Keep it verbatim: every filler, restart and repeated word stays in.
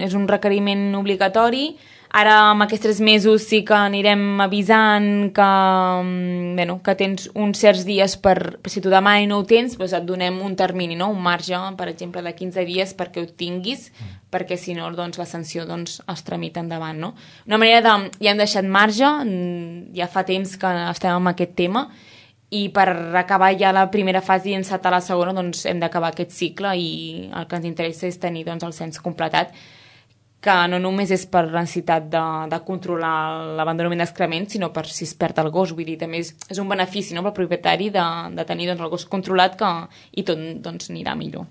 és un requeriment obligatori. Ara, amb aquests tres mesos, sí que anirem avisant que, bueno, que tens uns certs dies per, si tu demà i no ho tens, doncs et donem un termini, no? Un marge, per exemple, de quinze dies perquè ho tinguis, perquè si no, doncs, la sanció doncs, es tramita endavant, no? Una manera de... Ja hem deixat marge, ja fa temps que estem amb aquest tema, i per acabar ja la primera fase i encetar la segona, doncs hem d'acabar aquest cicle i el que ens interessa és tenir doncs, el cens completat, que no només és per la necessitat de, de controlar l'abandonament d'excrements, sinó per si es perd el gos. Vull dir, també és, és un benefici, no?, pel propietari de, de tenir doncs, el gos controlat que, i tot doncs, anirà millor.